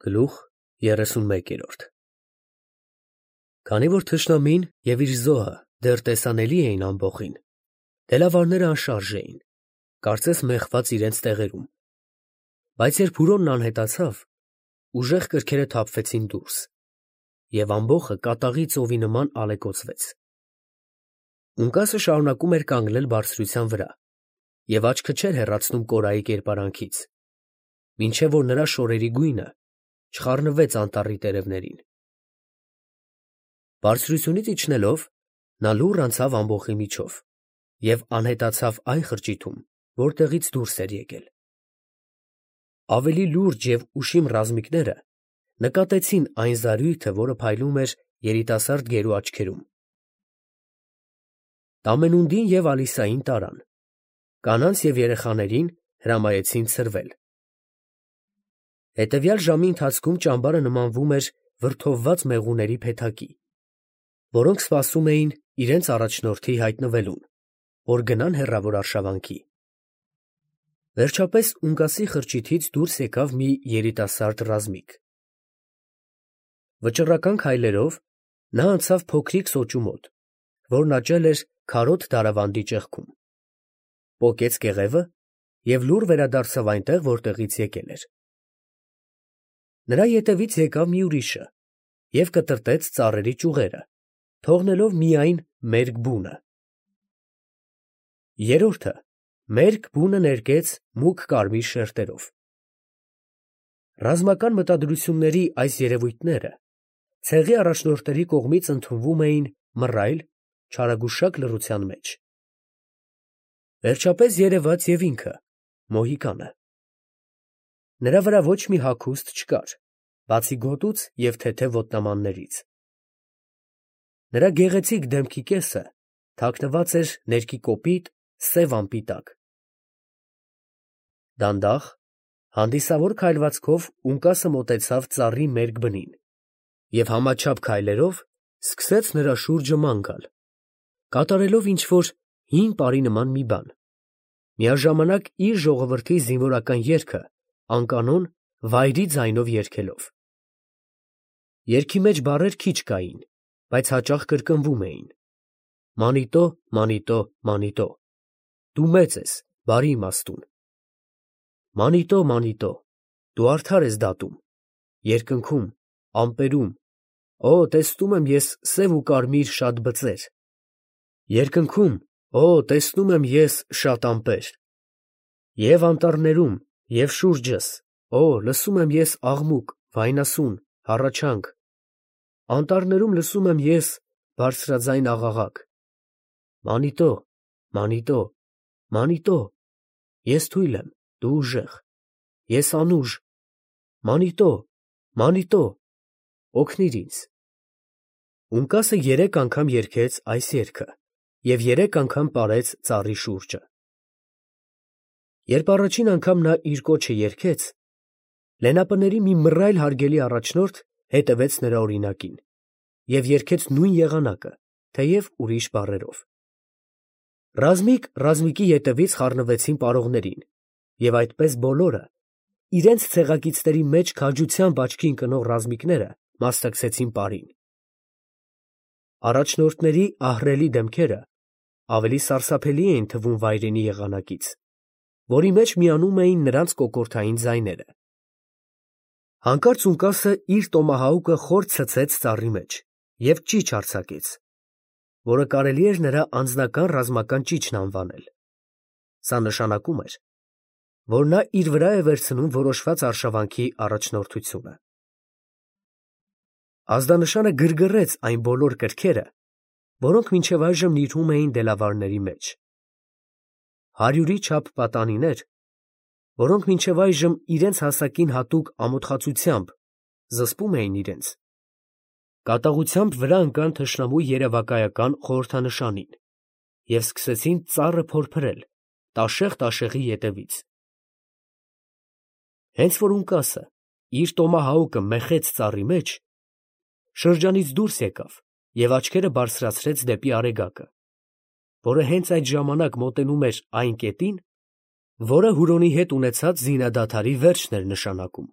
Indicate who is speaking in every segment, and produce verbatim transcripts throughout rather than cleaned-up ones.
Speaker 1: Գլուխ երեսունմեկ։ Քանի որ թշնամին և իր զոհը դեռ տեսանելի էին ամբոխին, դելավարները անշարժ էին, կարծես մեխված իրենց տեղերում, բայց երբ հուրոնն անհետացավ, ուժեղ կրքերը թափվեցին դուրս, և ամբոխը կատաղի ծովի նման ալեկոծվեց։ Ունկասը շարունակում էր կանգնել բարձրության վրա և աչքը չէր հեռացնում Կորայի կերպարանքից, մինչև որ նրա շորերի գույնը չխառնվեց անտառի տերևներին։ Բարձրությունից իջնելով, նա լուռ անցավ ամբոխի միջով և անհետացավ այն խրճիթում, որտեղից դուրս էր եկել։ Ավելի լուրջ և ուշիմ ռազմիկները նկատեցին այն զարույթը, որը փայլում էր երիտասարդ գերու աչքերում։ Տամենունդին և Ալիսային տարան, կանանց և երեխաներին հրամայեցին ցրվել։ Հետևյալ ժամի ընթացքում ճամբարը նմանվում էր վրդովված մեղուների փեթակի, որոնք սպասում էին իրենց առաջնորդի հայտնվելուն, որ գնան հեռավոր արշավանքի։ Վերջապես ունկասի խրճիթից դուրս եկավ մի երիտասարդ ռազմիկ։ Վճռական քայլերով նա անցավ փոքրիկ սոճու մոտ, որն աճել էր քարոտ դարավանդի ճեղքում, պոկեց կեղևը և լուռ վերադարձավ այնտեղ, որտեղից եկել էր։ Նրա ետևից եկավ մի ուրիշը և կտրտեց ծառերի ճյուղերը, թողնելով միայն մերկ բունը։ Երրորդը մերկ բունը ներկեց մուգ կարմիր շերտերով։ Ռազմական մտադրությունների այս երևույթները ցեղի առաջնորդների կողմից ընդունվում էին մռայլ, չարագուշակ լռության մեջ։ Վերջապես երևաց և ինքը՝ մոհիկանը։ Նրա վրա ոչ մի հագուստ չկար, բացի գոտուց և թեթև ոտնամաններից։ Նրա գեղեցիկ դեմքի կեսը թաքնված էր ներկի կոպիտ, սև ամպի տակ։ Դանդաղ, հանդիսավոր քայլվածքով ունկասը մոտեցավ ծառի մերկ բնին և համաչափ քայլերով սկսեց նրա շուրջը ման գալ, կատարելով ինչ֊որ հին պարի նման մի բան, միաժամանակ իր ժողովրդի զինվորական երգը անկանոն, վայրի ձայնով երգելով։ Երգի մեջ բառեր քիչ կային, բայց հաճախ կրկնվում էին. «Մանիտո, մանիտո, մանիտո, դու մեծ ես, բարի իմաստուն, մանիտո, մանիտո, դու արդար ես դատում, երկնքում, ամպերում, օ, տեսնում եմ ես սև ու կարմիր շատ բծեր, երկնքում, օ, տեսնում եմ ես շատ ամպեր, և անտառներում, և շուրջս, օ, լսում եմ ես աղմուկ, վայնասուն, հառաչանք, անտառներում լսում եմ ես բարձրաձայն աղաղակ, մանիտո, մանիտո, մանիտո, ես թույլ եմ, դու ուժեղ, ես անուժ, մանիտո, մանիտո, օգնիր ինձ»։ Ունկասը երեք անգամ երգեց այս երգը և երեք անգամ պարեց ծառի շուրջը։ Երբ առաջին անգամ նա իր կոչը երգեց, լենապների մի մռայլ հարգելի առաջնորդ հետևեց նրա օրինակին և երգեց նույն եղանակը, թեև ուրիշ բառերով։ Ռազմիկ ռազմիկի ետևից խառնվեցին պարողներին, և այդպես բոլորը, իրենց ցեղակիցների մեջ քաջությամբ աչքի ընկնող ռազմիկները մասնակցեցին պարին։ Առաջնորդների ահռելի դեմքերը ավելի սարսափելի էին թվում վայրենի եղանակից, որի մեջ միանում էին նրանց կոկորդային ձայները։ Հանկարծ ունկասը իր տոմահաուկը խոր ցցեց ծառի մեջ և ճիչ արձակեց, որը կարելի էր նրա անձնական ռազմական ճիչն անվանել։ Սա նշանակում էր, որ նա իր վրա է վերցնում որոշված արշավանքի առաջնորդությունը։ Ազդանշանը գրգռեց այն բոլոր կրքերը, որոնք մինչև այժմ նիրհում էին դելավարների մեջ։ Հարյուրի չափ պատանիներ, որոնք մինչև այժմ իրենց հասակին հատուկ ամոթխածությամբ զսպում էին իրենց, կատաղությամբ վրա ընկան թշնամու երևակայական խորհրդանշանին և սկսեցին ծառը փորփրել տաշեղ֊տաշեղի ետևից։ Հենց որ ունկասը իր տոմահաուկը մեխեց ծառի մեջ, շրջանից դուրս եկավ և աչքերը բարձրացրեց դեպի Արեգակը, որը հենց այդ ժամանակ մոտենում էր այն կետին, որը Հուրոնի հետ ունեցած զինադադարի վերջն էր նշանակում։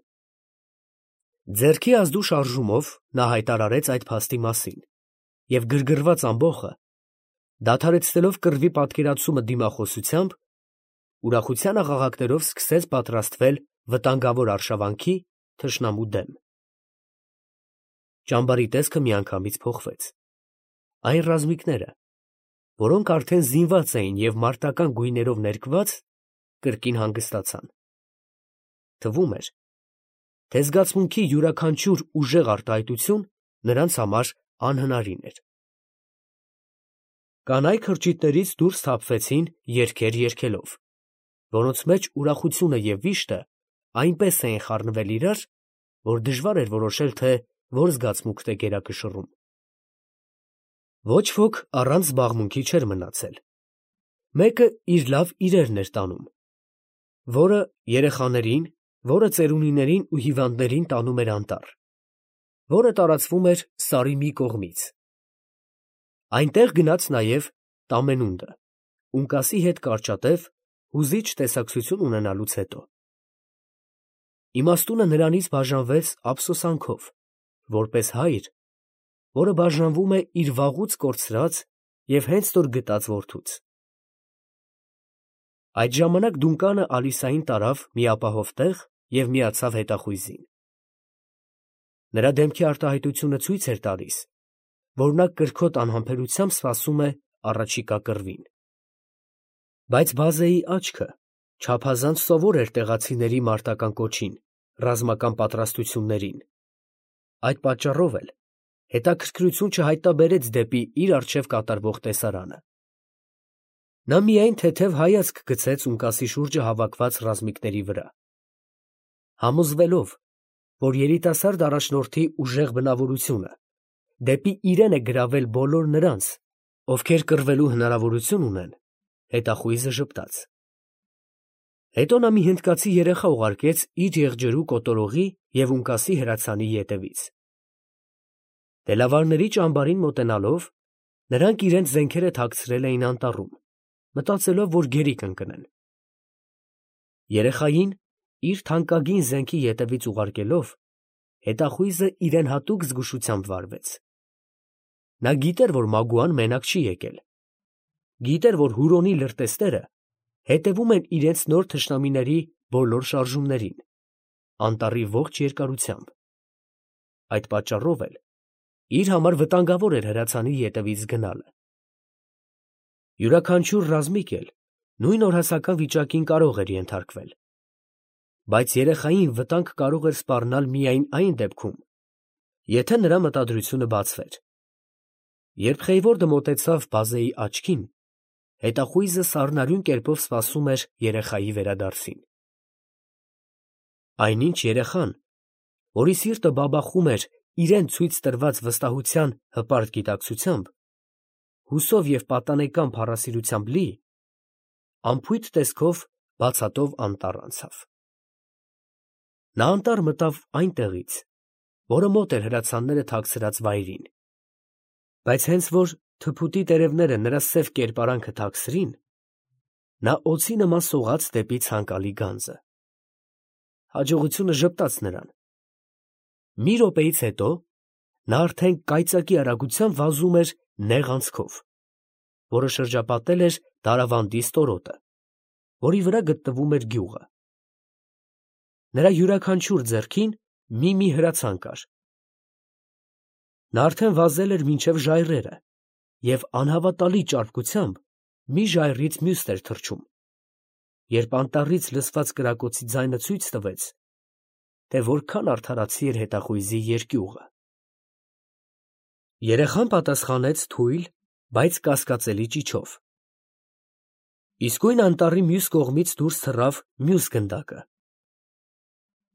Speaker 1: Ձեռքի ազդու շարժումով նա հայտարարեց այդ փաստի մասին և գրգռված ամբոխը, դադարեցնելով կռվի պատկերացումը դիմախոսությամբ, ուրախության աղաղակներով սկսեց պատրաստվել վտանգավոր արշավանքի թշնամու դեմ։ Ճամբարի տեսքը միանգամից փոխվեց. այն ռազմիկները, որոնք արդեն զինված էին և մարտական գույներով ներկված, կրկին հանգստացան։ Թվում էր, թե զգացմունքի յուրաքանչյուր ուժեղ արտահայտություն նրանց համար անհնարին էր։ Կանայք քրճիթներից դուրս թափվեցին երգեր երգելով, որոնց մեջ ուրախությունը և վիշտը այնպես էին խառնվել իրար, որ դժվար էր որոշել, թե որ զգացմունքն է գերակշռում։ Ոչ ոք առանց զբաղմունքի չէր մնացել։ Մեկը իր լավ իրերն էր տանում, որը երեխաներին, որը ծերունիներին ու հիվանդներին տանում էր անտառ, որը տարածվում էր սարի մի կողմից։ Այնտեղ գնաց նաև Տամենունդը, ունկասի հետ կարճատև, հուզիչ տեսակցություն ունենալուց հետո։ Իմաստունը նրանից բաժանվեց ափսոսանքով, որպես հայր, որը բաժանվում է իր վաղուց կորցրած և հենց նոր գտած որդուց։ Այդ ժամանակ Դունկանը Ալիսային տարավ մի ապահով տեղ և միացավ հետախույզին։ Նրա դեմքի արտահայտությունը ցույց էր տալիս, որ նա կրքոտ անհամբերությամբ սպասում է առաջիկա կռվին։ Բայց բազեի աչքը չափազանց սովոր էր տեղացիների մարտական կոչին, ռազմական պատրաստություններին։ Այդ պատճառով էլ հետաքրքրություն չհայտնաբերեց դեպի իր առջև կատարվող տեսարանը։ Նա միայն թեթև հայացք գցեց ունկասի շուրջը հավաքված ռազմիկների վրա, համոզվելով, որ երիտասարդ առաջնորդի ուժեղ բնավորությունը դեպի իրեն է գրավել բոլոր նրանց, ովքեր կռվելու հնարավորություն ունեն, հետախույզը ժպտաց։ Հետո նա մի հնդկացի երեխա ուղարկեց իր եղջերու կոտորողի և ունկասի հրացանի ետևից։ Թելավարների ճամբարին մոտենալով, նրանք իրենց զենքերը թաքցրել էին անտառում, մտածելով, որ գերի կընկնեն։ Երեխային իր թանկագին զենքի ետևից ուղարկելով, հետախույզը իրեն հատուկ զգուշությամբ վարվեց։ Նա գիտեր, որ Մագուան մենակ չի եկել։ Գիտեր, որ Հուրոնի լրտեսները հետևում են իրենց նոր թշնամիների բոլոր շարժումներին, անտառի ողջ երկարությամբ։ Այդ պատճառով էլ իր համար վտանգավոր էր հրացանի ետևից գնալը։ Յուրաքանչյուր ռազմիկ էլ նույն օրհասական վիճակին կարող էր ենթարկվել։ Բայց երեխային վտանգ կարող էր սպառնալ միայն այն դեպքում, եթե նրա մտադրությունը բացվեր։ Երբ Խեյվորդը մոտեցավ բազեի աչքին, հետախույզը սառնարյուն կերպով սպասում էր երեխայի վերադարձին։ Այնինչ երեխան, որի սիրտը բաբախում էր իրան ցույց տրված վստահության հպարտ գիտակցությամբ, հուսով և պատանեկան փառասիրությամբ լի, անփույթ տեսքով բացատով անտառ անցավ։ Նա անտառ մտավ այնտեղից, որը մոտ էր հրացանները թաքցրած վայրին, բայց հենց որ թփուտի տերևները նրա սև կերպարանքը թաքցրին, նա օձի նման սողաց դեպի ցանկալի գանձը։ Հաջողությունը ժպտաց նրան։ Մի րոպեից հետո նա արդեն կայծակի արագությամբ վազում էր նեղ անցքով, որը շրջապատել էր Դարավանդի ստորոտը, որի վրա գտնվում էր գյուղը։ Նրա յուրաքանչյուր ձեռքին մի-մի հրացան կար։ Նա արդեն վազել էր մինչև ժայռերը և անհավատալի ճարպկությամբ մի ժայռից մյուսն էր թռչում, երբ անտառից լսված կրակոցի ձայնը ցույց տվեց, թե որքան արդարացի էր հետախույզի երկյուղը։ Երեխան պատասխանեց թույլ, բայց կասկածելի ճիչով։ Իսկույն անտառի մյուս կողմից դուրս թռավ մյուս գնդակը։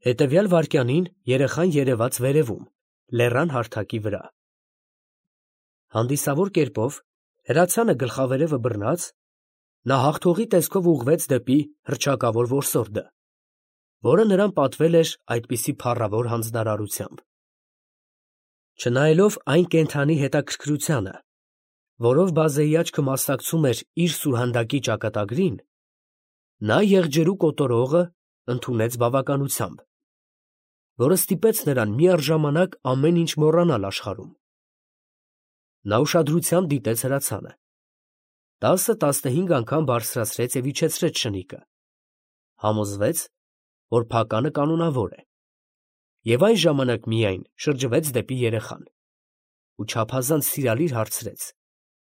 Speaker 1: Հետևյալ վայրկյանին երեխան երևաց վերևում, լեռան հարթակի վրա։ Հանդիսավոր կերպով, հրացանը գլխավերևը բռնած, նա հաղթողի տեսքով ուղղվեց դեպի հռչակավոր որսորդը, որը նրան պատվել էր այդպիսի փառավոր հանձնարարությամբ։ Չնայելով այն կենդանի հետաքրքրությանը, որով բազեի աչքը մասնակցում էր իր սուրհանդակի ճակատագրին, նա եղջերու կոտորողը ընդունեց բավականությամբ, որը ստիպեց նրան միառժամանակ ամեն ինչ մոռանալ աշխարհում։ Նա ուշադրությամբ դիտեց հրացանը. տասը֊տասնհինգ անգամ բարձրացրեց և իջեցրեց շնիկը, համոզվեց, որ փականը կանոնավոր է, և այն ժամանակ միայն շրջվեց դեպի երեխան ու չափազանց սիրալիր հարցրեց.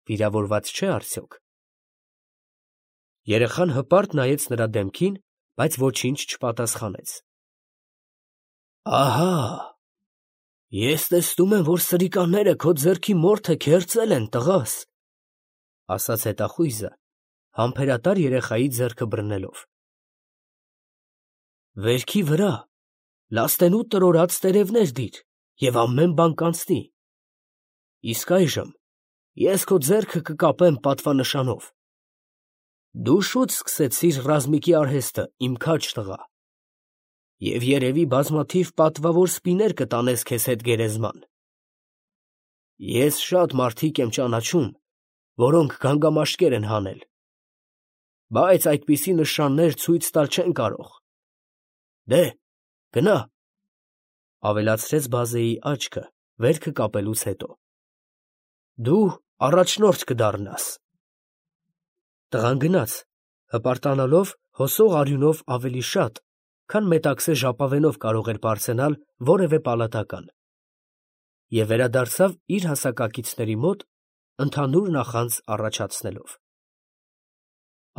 Speaker 1: վիրավորված չէ՞ արդյոք։ Երեխան հպարտ նայեց նրա դեմքին, բայց ոչինչ չպատասխանեց։ Ահա, ես տեսնում եմ, որ սրիկաները քո ձեռքի մորթե քերծել են, տղաս, ասաց հետախույզը, համբերատար երեխայի ձեռքը բռնելով։ Վերքի վրա լաստենու տրորած տերևներ դիր, և ամեն բան կանցնի։ Իսկ այժմ ես քո ձեռքը կկապեմ պատվանշանով։ Դու շուտ սկսեցիր ռազմիկի արհեստը, իմ քաջ տղա, և երևի բազմաթիվ պատվավոր սպիներ կտանես քեզ հետ գերեզման։ Ես շատ մարդիկ եմ ճանաչում, որոնք գանգամաշկեր են հանել, բայց այդպիսի նշաններ ցույց տալ չեն կարող։ Դե, գնա, ավելացրեց բազեի աչքը վերքը կապելուց հետո։ Դու առաջնորդ կդառնաս։ Տղան գնաց, հպարտանալով հոսող արյունով ավելի շատ, քան մետաքսե ժապավենով կարող էր պարծենալ որևէ պալատական, և վերադարձավ իր հասակակիցների մոտ, ընդհանուր նախանձ առաջացնելով։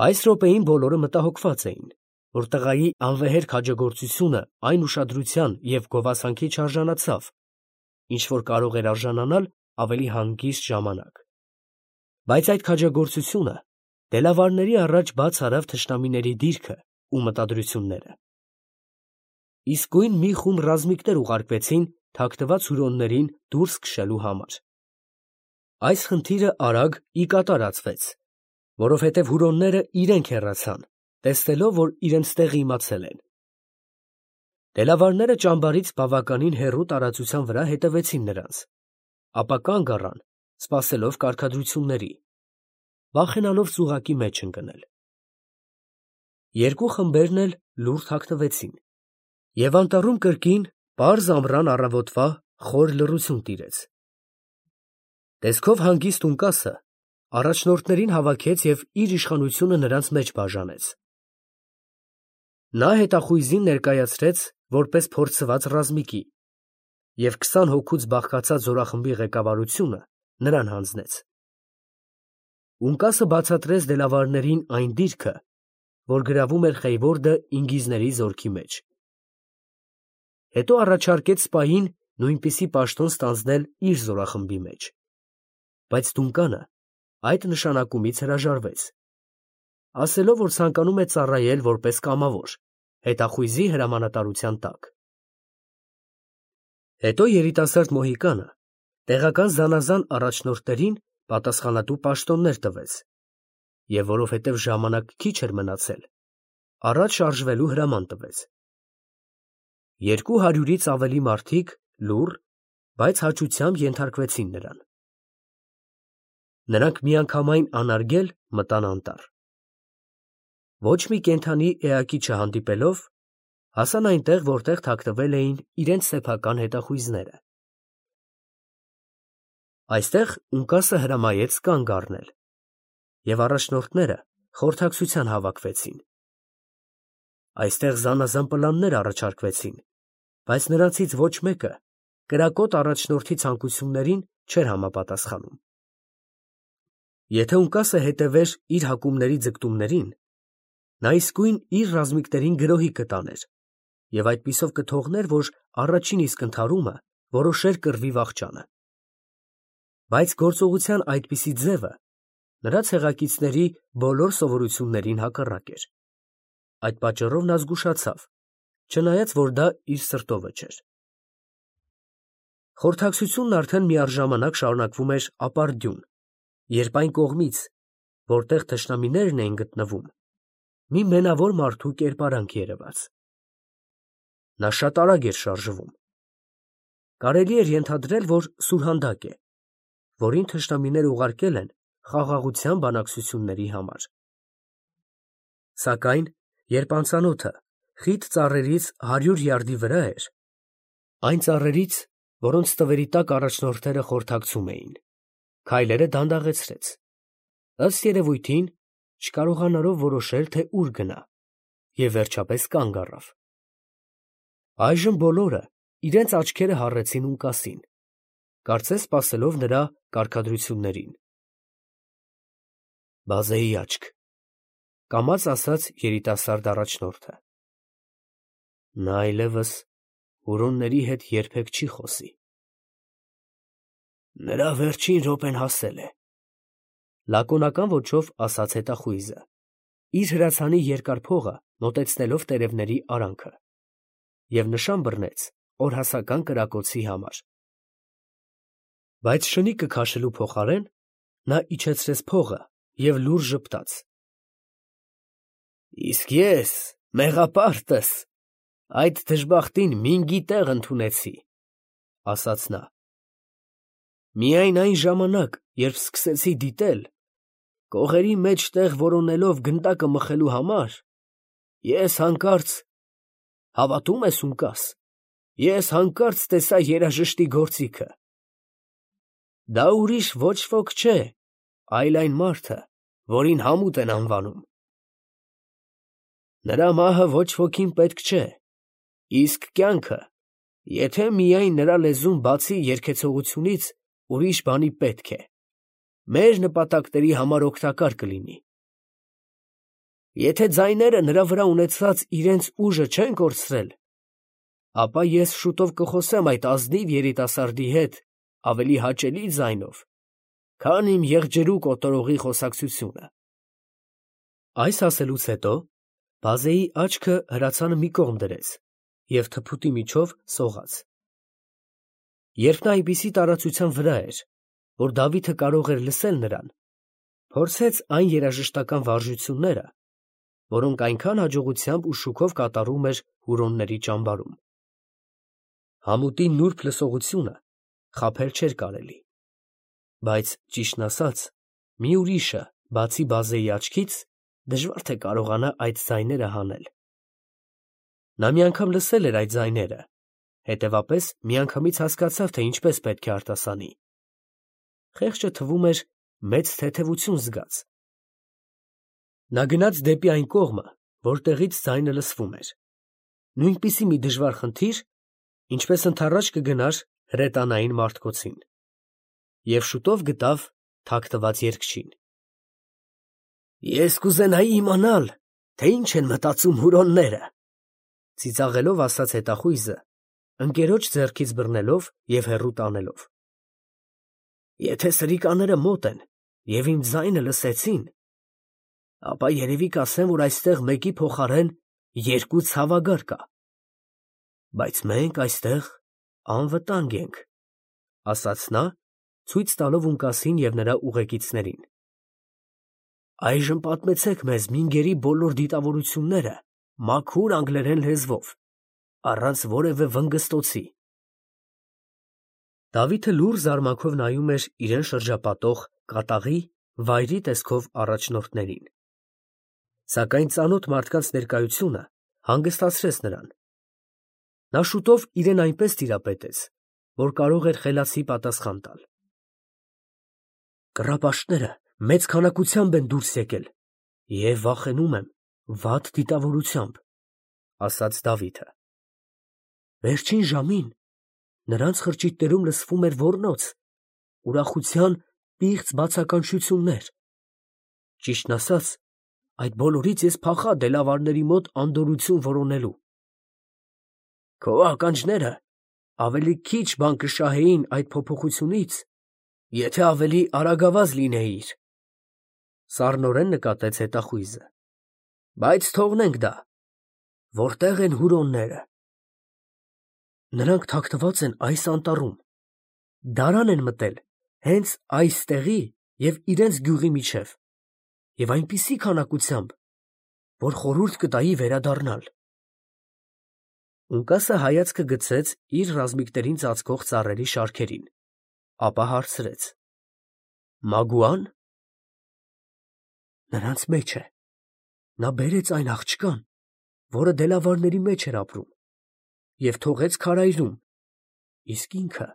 Speaker 1: Այս րոպեին բոլորը մտահոգված էին, որ տղայի անվեհեր քաջագործությունը այն ուշադրության և գովասանքի չարժանացավ, ինչ որ կարող էր արժանանալ ավելի հանգիստ ժամանակ։ Բայց այդ քաջագործությունը դելավարների առաջ բաց արավ թշնամիների դիրքը ու մտադրությունները։ Իսկույն մի խումբ ռազմիկներ ուղարկվեցին թաքնված հյուրոններին դուրս քշելու համար։ Այս խնդիրը արագ ի կատարածվեց, որովհետև հյուրոնները իրենք հեռացան, տեսնելով, որ իրենց տեղը իմացել են։ Դելավարները ճամբարից բավականին հեռու տարածության վրա հետևեցին նրանց, ապա կանգ առան, սպասելով կարգադրությունների, վախենալով ծուղակի մեջ ընկնել։ Երկու խմբերն էլ լուռ թաքնվեցին, և անտառում կրկին պարզ ամռան առավոտվա խոր լռություն տիրեց։ Տեսքով հանգիստ ունկասը առաջնորդներին հավաքեց և իր իշխանությունը նրանց մեջ բաժանեց։ Նա հետախույզին ներկայացրեց որպես փորձված ռազմիկի և քսան հոգուց բաղկացած զորախմբի ղեկավարությունը նրան հանձնեց։ Ունկասը բացատրեց դելավարներին այն դիրքը, որ գրավում էր Խեյվորդը ինգիզների զորքի մեջ։ Հետո առաջարկեց սպային նույնպիսի պաշտոն ստանձնել իր զորախմբի մեջ, բայց Դունկանը այդ նշանակումից հրաժարվեց, ասելով, որ ցանկանում է ծառայել որպես կամավոր, հետախույզի հրամանատարության տակ։ Հետո երիտասարդ մոհիկանը տեղական զանազան առաջնորդներին պատասխանատու պաշտոններ տվեց, և որովհետև ժամանակ քիչ էր մնացել, առաջ շարժվելու հրաման տվեց։ Երկու հարյուրից ավելի մարդիկ լուռ, բայց հաճությամբ ենթարկվեցին նրան։ Նրանք միանգամայն անարգել մտան անտառ։ Ոչ մի կենդանի էակի չհանդիպելով, հասան այնտեղ, որտեղ թաքնվել էին իրենց սեփական հետախույզները։ Այստեղ ունկասը հրամայեց կանգ առնել, և առաջնորդները խորհրդակցության հավաքվեցին։ Այստեղ զանազան պլաններ առաջարկվեցին, բայց նրանցից ոչ մեկը կրակոտ առաջնորդի ցանկություններին չէր համապատասխանում։ Եթե ունկասը հետևեր իր հակումների ձգտումներին, նա իսկույն իր ռազմիկներին գրոհի կտաներ և այդպիսով կթողներ, որ առաջին իսկ ընդհարումը որոշեր կռվի վախճանը։ Բայց գործողության այդպիսի ձևը նրա ցեղակիցների բոլոր սովորություններին հակառակ էր։ Այդ պատճառով նա զգուշացավ, չնայած որ դա իր սրտովը չէր։ Խորհրդակցությունն արդեն միառժամանակ շարունակվում էր ապարդյուն, երբ այն կողմից, որտեղ թշնամիներն էին գտնվում, մի մենավոր մարդու կերպարանք երևաց։ Նա շատ արագ էր շարժվում։ Կարելի էր ենթադրել, որ սուրհանդակ է, որին թշնամիները ուղարկել են խաղաղության բանակցությունների համար։ Սակայն երբ անծանոթը խիտ ծառերից հարյուր յարդի վրա էր, Այն ծառերից, որոնց տվերի տակ առաջնորդները խորհրդակցում էին, քայլերը դանդաղեցրեց, ըստ երևույթին, չկարողանալով որոշել, թե ուր գնա, և վերջապես կանգ առավ։ Այժմ բոլորը իրենց աչքերը հառեցին Ունկասին, կարծես սպասելով նրա կարգադրություններին։ «Բազեի աչք», ֊ կամաց ասաց երիտասարդ առաջնորդը։ «Նա այլևս հուրոնների հետ երբեք չի խոսի»։ «Նրա վերջին րոպեն հասել է», ֊ լակոնական ոճով ասաց հետախույզը, իր հրացանի երկար փողը մոտեցնելով տերևների արանքը, և նշան բռնեց օրհասական կրակոցի համար։ Բայց շնիկը քաշելու փոխարեն նա իջեցրեց փողը և լուռ ժպտաց. «Իսկ ես, մեղապարտս, այդ դժբախտին մինգի տեղ ընդունեցի», ֊ ասաց նա։ «Միայն այն ժամանակ, երբ սկսեցի դիտել, կողերի մեջ տեղ որոնելով գնդակը մխելու համար, ես հանկարծ… հավատո՞ւմ ես, Ունկաս, ես հանկարծ տեսա երաժշտի գործիքը… Դա ուրիշ ոչ ոք չէ, այլ այն մարդը, որին Համուտ են անվանում… Նրա մահը ոչ wոքին պետք չէ, իսկ կյանքը, եթե միայն նրա լեզուն բացի երգեցողությունից ուրիշ բանի պետք է, մեր նպատակների համար օգտակար կլինի… Եթե ձայները նրա վրա ունեցած իրենց ուժը չեն կորցրել, ապա ես շուտով կխոսեմ այդ ազնիվ երիտասարդի հետ ավելի հաճելի ձայնով, քան իմ եղջերու կոտորողի խոսակցությունը»։ Այս ասելուց հետո բազեի աչքը հրացանը մի կողմ դրեց և թփուտի միջով սողաց։ Երբ նա այնպիսի տարածության վրա էր, որ Դավիթը կարող էր լսել նրան, փորձեց այն երաժշտական վարժությունները, որոնք այնքան հաջողությամբ ու շուքով կատարում էր հուրոնների ճամբարում։ Համուտի նուրբ լսողությունը խաբել չէր կարելի, բայց, ճիշտն ասած, մի ուրիշը, բացի բազեի աչքից, դժվար թե կարողանա այդ ձայները հանել։ Նա մի անգամ լսել էր այդ ձայները, հետևապես միանգամից հասկացավ, թե ինչպես պետք է արտասանի։ Խեղճը թվում էր մեծ թեթևություն զգաց։ Նա գնաց դեպի այն կողմը, որտեղից ձայնը լսվում էր, նույնպիսի մի դժվար խնդիր, ինչպես ընդառաջ կգնար հրետանային մարտկոցին, և շուտով գտավ թաքնված երգչին։ «Ես կուզենայի իմանալ, թե ինչ են մտածում հուրոնները», ֊ ծիծաղելով ասաց հետախույզը, ընկերոջ ձեռքից բռնելով և հեռու տանելով։ «Եթե սրիկաները մոտ են և իմ ձայնը լսեցին, ապա երևի կասեն, որ այստեղ մեկի փոխարեն երկու ցավագար կա… Բայց մենք այստեղ անվտանգ ենք», ֊ ասաց նա, ցույց տալով Ունկասին և նրա ուղեկիցներին։ «Այժմ պատմեցեք մեզ մինգերի բոլոր դիտավորությունները մաքուր անգլերեն լեզվով, առանց որևէ վնգստոցի»։ Դավիթը լուռ զարմանքով նայում էր իրեն շրջապատող կատաղի, վայրի տեսքով առաջնորդներին։ Սակայն ծանոթ մարդկանց ներկայությունը հանգստացրեց նրան։ Նա շուտով իրեն այնպես տիրապետեց, որ կարող էր խելացի պատասխան տալ։ «Կռապաշտները մեծ քանակությամբ են դուրս եկել և, վախենում եմ, վատ դիտավորությամբ», ֊ ասաց Դավիթը։ «Վերջին ժամին նրանց խրճիթներում լսվում էր ոռնոց, ուրախության պիղծ բացականչություններ… Ճիշտն ասած, այդ բոլորից ես փախա դելավարների մոտ անդորրություն որոնելու… Քո ականջները ավելի քիչ բան կշահեին այդ փոփոխությունից, եթե ավելի արագավազ լինեիր, ֊ սառնորեն նկատեց հետախույզը, ֊ բայց թողնենք դա… Որտե՞ղ են հուրոնները»։ «Նրանք թաքնված են այս անտառում, դարան են մտել հենց այստեղի և իրենց գյուղի միջև, և այնպիսի քանակությամբ, որ խորհուրդ կտայի վերադառնալ»։ Ունկասը հայացքը գցեց իր ռազմիկներին ծածկող ծառերի շարքերին, ապա հարցրեց. «Մագուա՞ն»։ «Նրանց մեջ է… նա բերեց այն աղջկան, որը դելավարների մեջ էր ապրում, և թողեց քարայրում, իսկ ինքը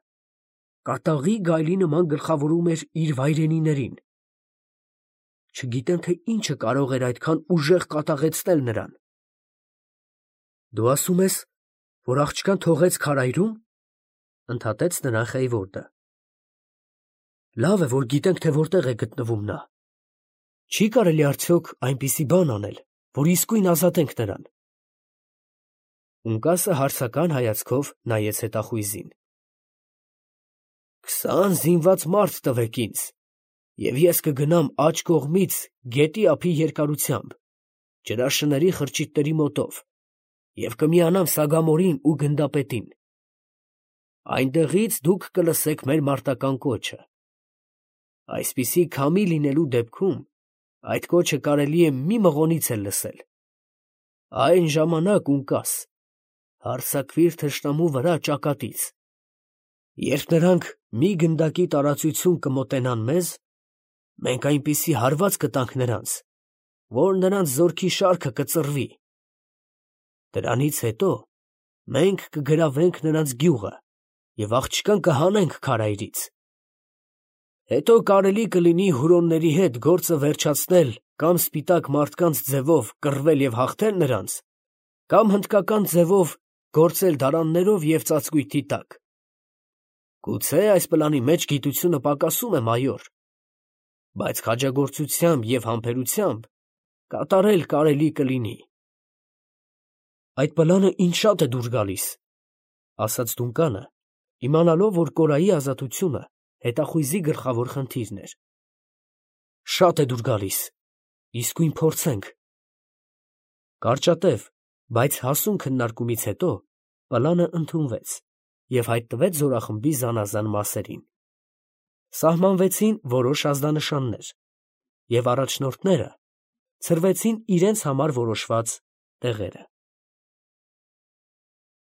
Speaker 1: կատաղի գայլի նման գլխավորում էր իր վայրենիներին։ Չգիտեմ, թե ինչը կարող էր այդքան ուժեղ կատաղեցնել նրան։ Դու ասում ես, որ աղջկան թողեց քարայրում, ֊ ընդհատեց նրան Խեյվորդը։ Լավ է, որ գիտենք, թե որտեղ է գտնվում նա։ Չի կարելի արդյոք այնպիսի բան անել, որ իսկույն ազատենք նրան։ Ունկասը հարցական հայացքով նայեց հետախույզին։ Քսան զինված մարդ տվեք ինձ, և ես կգնամ աջ կողմից գետի ափի երկարությամբ, ջրաշների խրճիթների մոտով, և կմիանամ Սագամորին ու գնդապետին։ Այնտեղից դուք կլսեք մեր մարտական կոչը։ Այսպիսի քամի լինելու դեպքում այդ կոչը կարելի է մի մղոնից էլ լսել։ Այն ժամանակ, Ունկաս, հարձակվիր թշնամու վրա ճակատից։ Երբ նրանք մի գնդակի տարածություն կմոտենան մեզ, մենք այնպիսի հարված կտանք նրանց, որ նրանց զորքի շարքը կծռվի։ Դրանից հետո մենք կգրավենք նրանց գյուղը և աղջկան կհանենք քարայրից։ Հետո կարելի կլինի հուրոնների հետ գործը վերջացնել կամ սպիտակ մարդկանց ձևով կռվել և հաղթել նրանց, կամ հնդկական ձևով գործել դարաններով և ծածկույթի տակ։ Գուցե այս պլանի մեջ գիտությունը պակասում է, մայոր, բայց քաջագործությամբ և համբերությամբ կատարել կարելի կլինի։ Այդ պլանը ինձ շատ է դուր գալիս, ֊ ասաց Դունկանը, իմանալով, որ կորայի ազատությունը հետախույզի գլխավոր խնդիրն էր։ Շատ է դուր գալիս, իսկույն փորձենք։ Կարճատև, բայց հասուն քննարկումից հետո պլանը ընդունվեց և հայտնվեց զորախմբի զանազան մասերին։ Սահմանվեցին որոշ ազդանշաններ, և առաջնորդները ցրվեցին իրենց համար որոշված տեղերը։